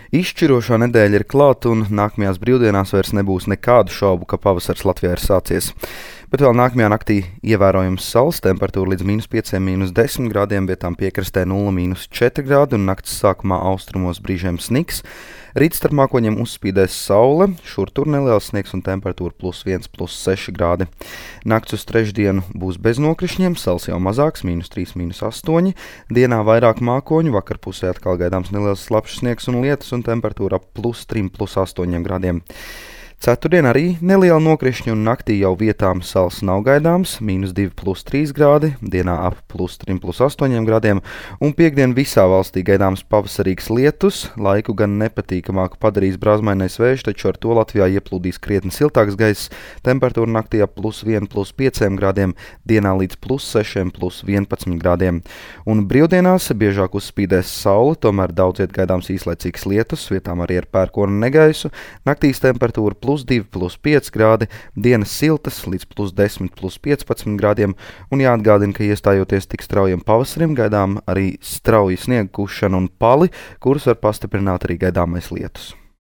Izšķirošā nedēļa ir klāta un nākamajās brīvdienās vairs nebūs nekādu šaubu, ka pavasars Latvijā ir sācies. Bet vēl nākamajā naktī ievērojams saules temperatūra līdz -5, -10 grādiem, vietām piekrastē 0,-4 grādi un nakts sākumā austrumos brīžiem sniks. Rīt starp mākoņiem uzspīdēs saule, šur tur neliels sniegs un temperatūra +1, +6 grādi. Nakts uz trešdienu būs bez nokrišņiem, sals jau mazāks, -3, -8. Dienā vairāk mākoņu, vakarpusē atkal gaidāms neliels slapjš sniegs un lietus un temperatūra ap +3, +8 grādiem. Ceturtdien arī neliela nokrišņa un naktī jau vietām sals nav gaidāms, -2, +3 grādi, dienā ap +3, +8 grādiem, un piektdien visā valstī gaidāms pavasarīgs lietus, laiku gan nepatīkamāku padarīs brāzmainais vējš, taču ar to Latvijā ieplūdīs krietni siltāks gaiss, temperatūra naktī ap +1, +5 grādiem, dienā līdz +6, +11 grādiem. Un brīvdienās biežāk uzspīdēs saule, tomēr daudz viet gaidāms īslaicīgs lietus, vietām arī ar pērkonu negaisu, naktīs temperatūra +2, +5 grādi, dienas siltas līdz +10, +15 grādiem, un jāatgādina, ka iestājoties tik straujam pavasarim, gaidām arī strauji sniega kušana un pali, kurus var pastiprināt arī gaidāmais lietus.